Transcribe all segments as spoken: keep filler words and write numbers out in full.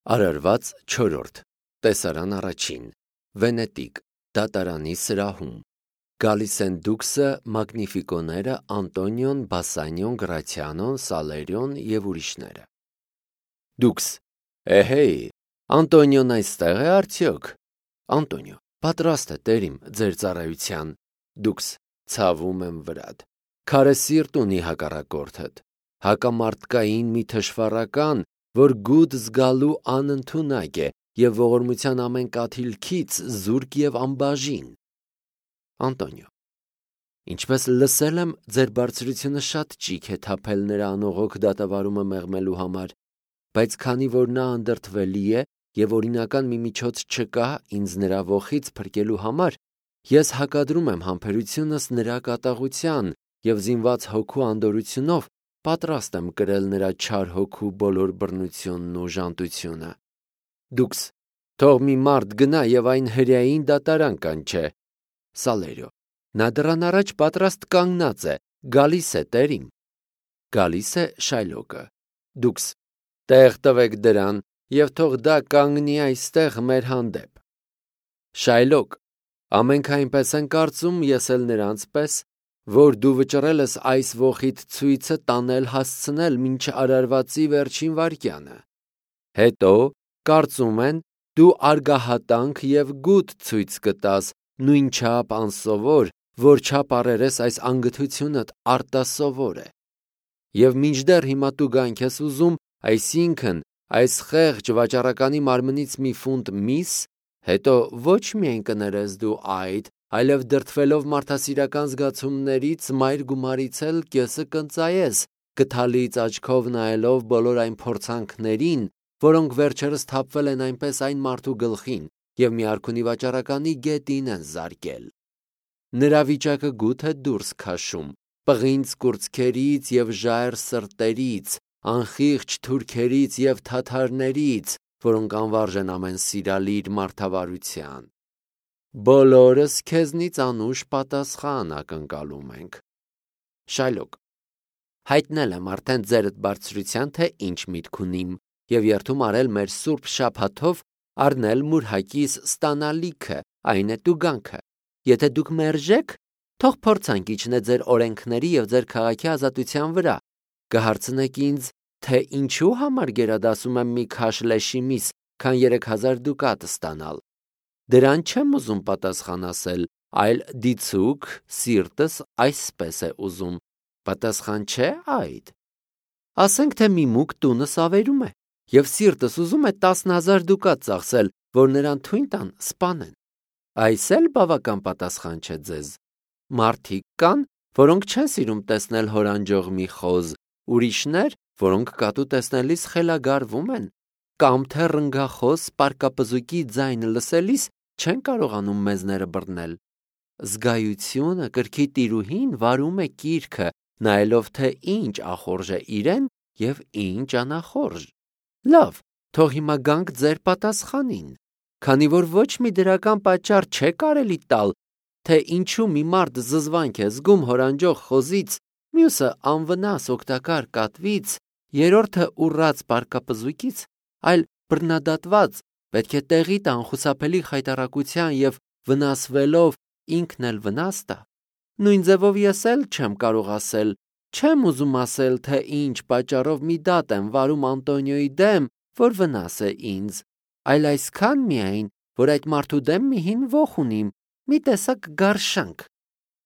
Արարված չորրորդ տեսարան առաջին Վենետիկ դատարանի սրահում գալիս են դուքսը մագնիֆիկոները Անտոնիոն, Բասանիոն, Գրացիանոն, Սալերիոն և ուրիշները։ Դուքս. Էհեյ, Անտոնիոն այստեղ է արդյոք։ Անտոնիո. պատրաստ է տերիմ ձեր ծառայության։ Դուքս. ցավում եմ վրադ։ Քարե սիրտ ունի հակառակորդդ, հակամարտկային մի թշվառական, որ գուդ զգալու անընդունակ է և ողորմության ամեն կաթիլքից զուրկ և անբաժին։ Անտոնիո. ինչպես լսել եմ, ձեր բարձրությունը շատ ճիգ է թափել նրա անողոք դատավարումը մեղմելու համար, բայց քանի որ նա անդրդվելի է և օրինական մի միջոց չկա ինձ նրա ոխից փրկելու համար, ես հակադրում եմ համբերությունս նրա կատաղության և զինված հոգու անդորրությունով պատրաստ եմ կրել նրա չար հոգու բոլոր բռնությունն ու ժանտությունը։ Դուքս. թող մի մարդ գնա և այն հրեային դատարան կանչե։ Սալերիո. նա դռան առաջ պատրաստ կանգնած է, գալիս է տերիմ։ Գալիս է Շայլոկը։ Դուքս. տեղ տվեք դրան և թող դա կանգնի այստեղ մեր հանդեպ։ Շայլոկ. ամենք այնպես են կարծում, ես էլ նրանց պես, որ դու վճռել ես այս ոխիդ ցույցը տանել հասցնել մինչ արարվածի վերջին վայրկյանը։ Հետո, կարծում են, դու արգահատանք և գութ ցույց կտաս, նույնչափ անսովոր, որչափ առերես այս անգթությունդ արտասովոր է։ Եվ մինչդեռ հիմա դու գանք ես ուզում, այսինքն այս խեղճ վաճառականի մարմնից մի ֆունտ միս, հետո ոչ միայն կներես դու այդ, այլև դրդվելով մարդասիրական զգացումներից մայր գումարից էլ կեսը կընծայես, գթալից աչքով նայելով բոլոր այն փորձանքներին, որոնք վերջերս թափվել են այնպես այն մարդու գլխին և մի արքունի վաճառականի գետին են զարկել։ Նրա վիճակը գութ է դուրս քաշում, պղինձ կուրծքերից և ժայռ սրտերից, անխիղճ թուրքերից և թաթարներից, որոնք անվարժ են ամեն սիրալիր մարդավարության։ Բոլորս քեզնից անուշ պատասխան ակնկալում ենք։ Շայլոկ. հայտնել եմ արդեն ձերդ բարձրության, թե ինչ միտք ունիմ, և երդում արել մեր սուրբ շաբաթով առնել մուրհակիս ստանալիքը, այն է տուգանքը։ Եթե դուք մերժեք, թող փորձանք իջնե ձեր օրենքների և ձեր քաղաքի ազատության վրա, կհարցնեք ինձ, թե ինչու համար գերադասում եմ մի քաշ լեշի միս, քան երեք հազար դուկատ ստանալ։ Դրան չեմ ուզում պատասխան ասել, այլ դիցուք սիրտս այսպես է ուզում, պատասխան չէ այդ։ Ասենք, թե մի մուկ տունս ավերում է, և սիրտս ուզում է տասն հազար դուկատ ծախսել, որ նրան թույն տան սպանեն։ Այս էլ բավական պատասխան չէ ձեզ։ Մարդիկ կան, որոնք չեն սիրում տեսնել հորանջող մի խոզ, ուրիշներ, որոնք կատու տեսնելիս խելագարվում են, կամ թե ռնգախոս պարկապզուկի ձայնը լսելիս չեն կարողանում մեզները բռնել։ Զգայությունը կրքի տիրուհին վարում է կիրքը, նայելով թե ինչ ախորժ է իրեն և ինչ անախորժ։ Լավ, թող հիմա գանք ձեր պատասխանին։ Քանի որ ոչ մի դրական պատճառ չէ կարելի տալ, թե ինչու մի մարդ զզվանք է զգում հորանջող խոզից, մյուսը անվնաս օգտակար կատվից, երրորդը ուռած պարկապզուկից, այլ բռնադատված պետք է տեղի տան խուսափելի խայտառակության և վնասվելով ինքն էլ վնաս տա։ Նույն ձևով ես էլ չեմ կարող ասել, չեմ ուզում ասել, թե ինչ պատճառով մի դատ եմ վարում Անտոնիոյի դեմ, որ վնաս է ինձ, այլ այսքան միայն, որ այդ մարդու դեմ մի հին ոխ ունիմ, մի տեսակ գարշանք։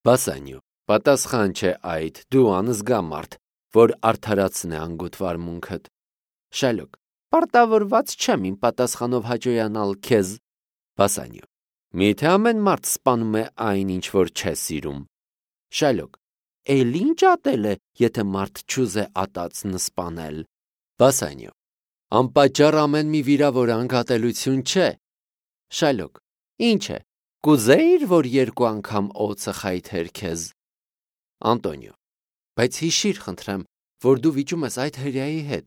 Բասանիո. պատասխան չէ այդ, դու անզգա մարդ, որ արդարացնե անգութ վարմունքդ։ Շայլոկ. պարտավորված չեմ իմ պատասխանով հաճոյանալ քեզ։ Բասանիո. միթե ամեն մարդ սպանում է այն, ինչ որ չէ սիրում։ Շայլոկ. էլ ինչ ատել է, եթե մարդ չուզե ատածն սպանել։ Բասանիո. անպատճառ ամեն մի վիրավորանք ատելություն չէ։ Շայլոկ. ինչ է, կուզեիր, որ երկու անգամ օձը խայթեր քեզ։ Անտոնիո. բայց հիշիր, խնդրեմ, որ դու վիճում ես այդ հրեայի հետ։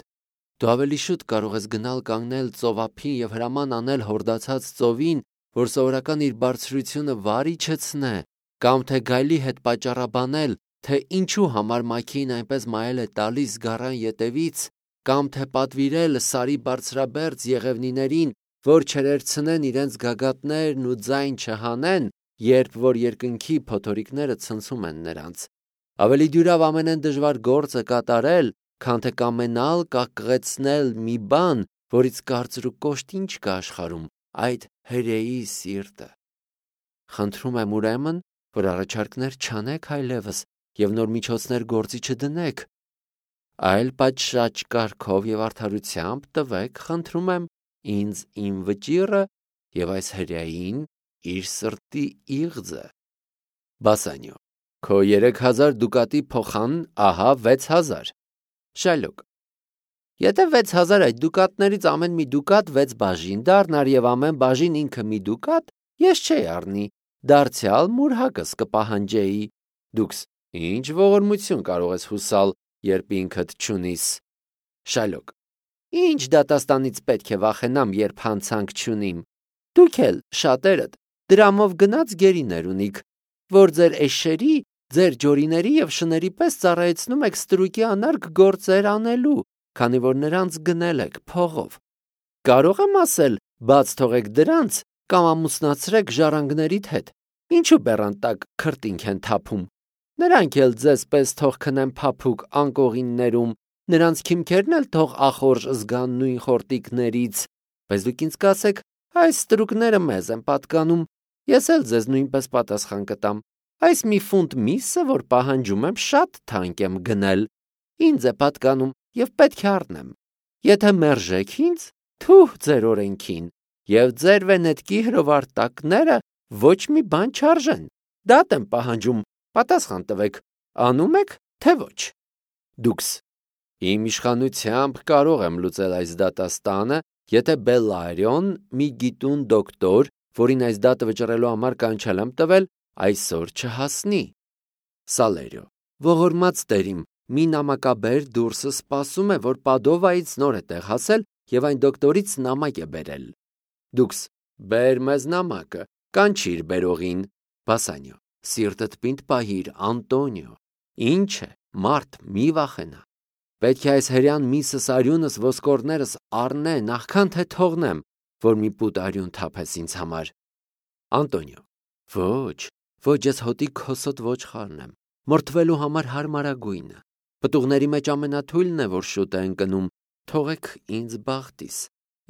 Դու ավելի շուտ կարող ես գնալ կանգնել ծովափին և հրաման անել հորդացած ծովին, որ սովորական իր բարձրությունը վար իջեցնե, կամ թե գայլի հետ պատճառաբանել, թե ինչու համար մաքեին այնպես մայել է տալիս գարան ետևից, կամ թե պատվիրել Սարի բարձրաբերձ եղևնիներին, որ չերերցնեն իրենց գագաթներն ու ձայն չհանեն, երբ որ երկնքի փոթորիկները ցնցում են նրանց։ Ավելի դյուրավ ամենեն դժվար գործը կատարել, քան թե կամենալ կակղեցնել մի բան, որից կարծր ու կոշտ ինչ կա աշխարհում, այդ հրեի սիրտը։ Խնդրում եմ ուրեմն, որ առաջարկներ չանեք այլևս եւ նոր միջոցներ գործի չդնեք, այլ պատշաճ կարգով եւ արդարությամբ տվեք, խնդրում եմ, ինձ իմ վճիռը եւ այս հրեային իր սրտի իղձը։ Բասանյո. Քո երեք հազար դուկատի փոխան, ահա վեց հազար։ Շալոկ. Եթե վեց հազար այդ դուկատներից ամեն մի դուկատ վեց բաժին դառնար եւ ամեն բաժին ինքը մի դուկատ, ես չէի առնի, դարձյալ մուրհակս կպահանջեի։ Դուքս ինչ ողորմություն կարող ես հուսալ, երբ ինքդ չունիս։ Շալոկ. Ինչ դատաստանից պետք է վախենամ, երբ հանցանք չունիմ։ Դուք էլ շատերդ դրամով գնաց գերիներ ունիք, որ ձեր էշերի, ձեր ջորիների եւ շների պես ծառայեցնում եք ստրուկի անարգ գործեր անելու, քանի որ նրանց գնել եք փողով։ Կարող եմ ասել, բաց թողեք դրանց կամ ամուսնացրեք ժառանգներիդ հետ։ Ինչու բեռան տակ քրտինք են թափում։ Նրանք էլ ձեզ պես թող քնեն փափուկ անկողիններում, նրանց քիմքերն էլ թող ախորժ զգան նույն խորտիկներից, բայց դուք ինձ կասեք, այս ստրուկները մեզ են պատկանում, ես էլ ձեզ նույնպես պատասխան կտամ։ Այս մի ֆունտ միսը, որ պահանջում եմ, շատ թանկ եմ գնել, ինձ է պատկանում եւ պետք է առնեմ։ Եթե մերժեք ինձ, թուh ձեր օրենքին, եւ ձեր վենետկի հրովարտակները ոչ մի բան չարժեն։ Դատ եմ պահանջում, պատասխան տվեք, անում եք, թե ոչ։ Դուքս իմ իշխանությամբ կարող եմ լուծել այս դատաստանը, եթե Բելլարիոն, մի գիտուն դոկտոր, որին այս դատը վճռելու համար կանչել եմ տվել, այսօր չհասնի։ Սալերիո. Ողորմած տերիմ, մի նամակաբեր դուրսը սպասում է, որ Պադովայից նոր է տեղ հասել եւ այն դոկտորից նամակ է բերել։ Դուքս բեր մեզ նամակը, կանչիր բերողին։ Բասանյո. Սիրտդ պինդ պահիր, Անտոնիո։ Ինչ է, մարդ մի վախենա։ Պետք է այս հրյան միսս արյունս ոսկորներս առնե, նախքան թե թողնեմ, որ մի պուտ արյուն թափես ինձ համար։ Անտոնիո. Ոչ, ոչ, ես հոտի քոսոտ ոչխարն եմ, մորթվելու համար հարմարագույնը։ Պտուղների մեջ ամենաթույլն է, որ շուտ է ընկնում, թողեք ինձ բախտիս։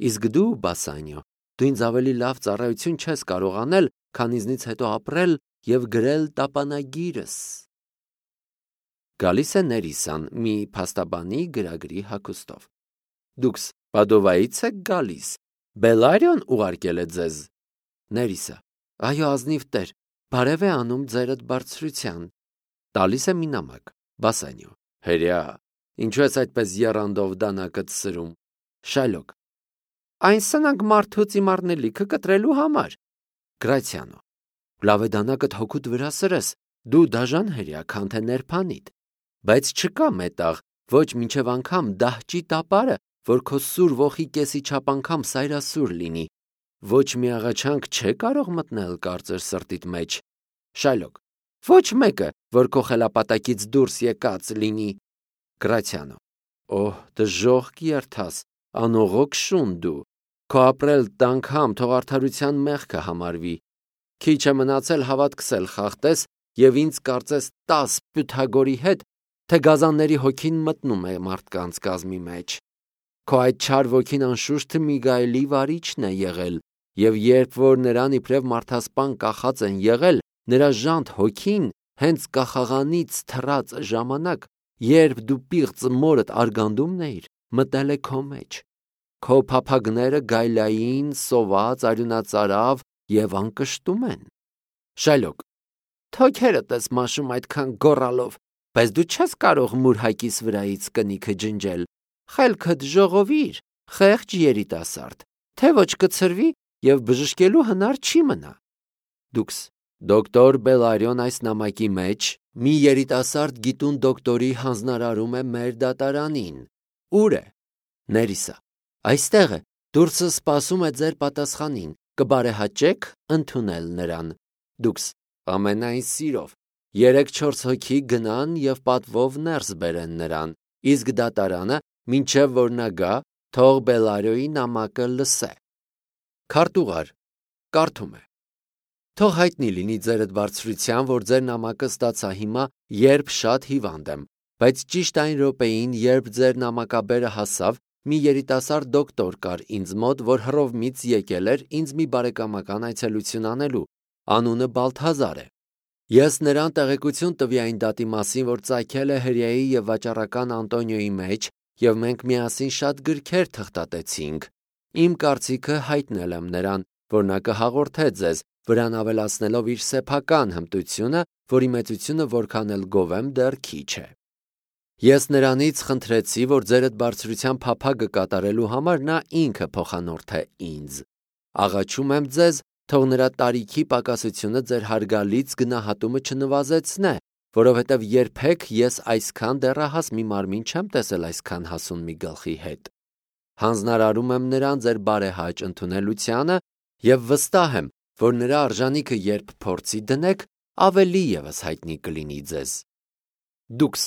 Իսկ դու, Բասանյո, դու ինձ ավելի լավ ծառայություն չես կարող անել, քան ինձնից հետո ապրել եւ գրել տապանագիրս։ Գալիս է Ներիսան մի փաստաբանի գրագրի հագուստով։ Դուքս Պադովայից եք գալիս։ Բելլարիոն ուղարկել է ձեզ։ Ներիսը. Այո, ազնիվ տեր, բարև է անում ձերդ բարձրության։ Տալիս է մի նամակ։ Բասանյո. Հրյա, ինչու ես այդպես եռանդով դանակդ սրում։ Շալոկ. Այն սնանք մարդուց իմ առնելիքը կտրելու համար։ Գրացիանո. Լավ է դանակդ հոգուտ վրա սրես, դու դաժան հրյա, քան թե ներփանիդ։ Բայց չկա մետաղ, ոչ մինչև անգամ դահճի տապարը, որ քո սուր ոխի կեսի չափ անգամ սայրասուր լինի։ Ոչ մի աղաչանք չէ կարող մտնել կարծր սրտիդ մեջ։ Շալոկ. Ոչ մեկը, որ քո խելապատակից դուրս եկած լինի։ Գրացիանո. Օհ, դժոխք երթաս, անողոք շուն դու։ Քո ապրել տանգամ թող արդարության մեղքը համարվի։ Քիչ է մնացել հավատքսել խախտես եւ ինձ կարծես տաս Պյութագորի հետ, թե գազանների հոգին մտնում է մարդկանց կազմի մեջ։ Քո այդ չար ոգին անշուշտ մի գայելի վարիչն է եղել, եւ երբ որ նրան իբրև մարդասպան կախած են եղել, նրա ժանտ հոգին հենց կախաղանից թռած ժամանակ, երբ դու պիղծ մորդ արգանդումն էիր, մտել է քո մեջ։ Քո փափագները գայլային, սոված, արյունածարավ եւ անկշտում են։ Շալոկ. Թոքերդ ես մաշում այդքան գոռալով, բայց դու չես կարող մուրհակիս վրայից կնիքը ջնջել։ Խելքդ ժողովիր, խեղճ երիտասարդ, թե ոչ կցրվի եւ բժշկելու հնար չի մնա։ Դուքս դոկտոր Բելլարիոն այս նամակի մեջ մի երիտասարդ գիտուն դոկտորի հանձնարարում է մեր դատարանին։ Ուր է։ Ներիսա. Այստեղ է, դուրսը սպասում է ձեր պատասխանին, կբարեհաճեք ընդունել նրան։ Դուքս ամենայն սիրով երեք-չորս հոգի գնան եւ պատվով ներս բերեն նրան, իսկ դատարանը մինչև որ նա գա, թող Բելարիոյի նամակը լսե։ Քարտուղար կարդում է. Թող հայտնի լինի ձերդ բարձրության, որ ձեր նամակը ստացա հիմա, երբ շատ հիվանդ եմ, բայց ճիշտ այն րոպեին, երբ ձեր նամակաբերը հասավ, մի երիտասարդ դոկտոր կար ինձ մոտ, որ Հռովմից եկել էր ինձ մի բարեկամական այցելություն անելու, անունը Բալթազար է։ Ես նրան տեղեկություն տվի այն դատի մասին, որ ծագել է հրեայի եւ վաճառական Անտոնիոյի մեջ, եւ մենք միասին շատ գրքեր թղթատեցինք։ Իմ կարծիքը հայտնել եմ նրան, որ նա կհաղորդե ձեզ, վրան ավելացնելով իր սեփական հմտությունը, որի մեծությունը որքան էլ գովեմ դեռ քիչ է։ Ես նրանից խնդրեցի, որ ձերդ բարձրության փափագը կատարելու համար նա ինքը փոխանորդե ինձ։ Աղաչում եմ ձեզ, թող նրա տարիքի պակասությունը ձեր հարգալից գնահատումը չնվազեցնե, որովհետև երբեք ես այսքան դեռահաս մի մարմին չեմ տեսել այսքան հասուն մի գլխի հետ։ Հանձնարարում եմ նրան ձեր բարեհաճ ընդունելությանը եւ վստահ եմ, որ նրա արժանիքը երբ փորձի դնեք, ավելի եւս հայտնի կլինի ձեզ։ Դուքս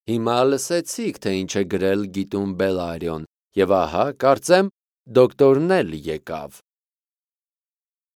հիմա լսեցիք, թե ինչ է գրել գիտուն Բելարիոն, եւ ահա, կարծեմ, դոկտորն էլ եկավ։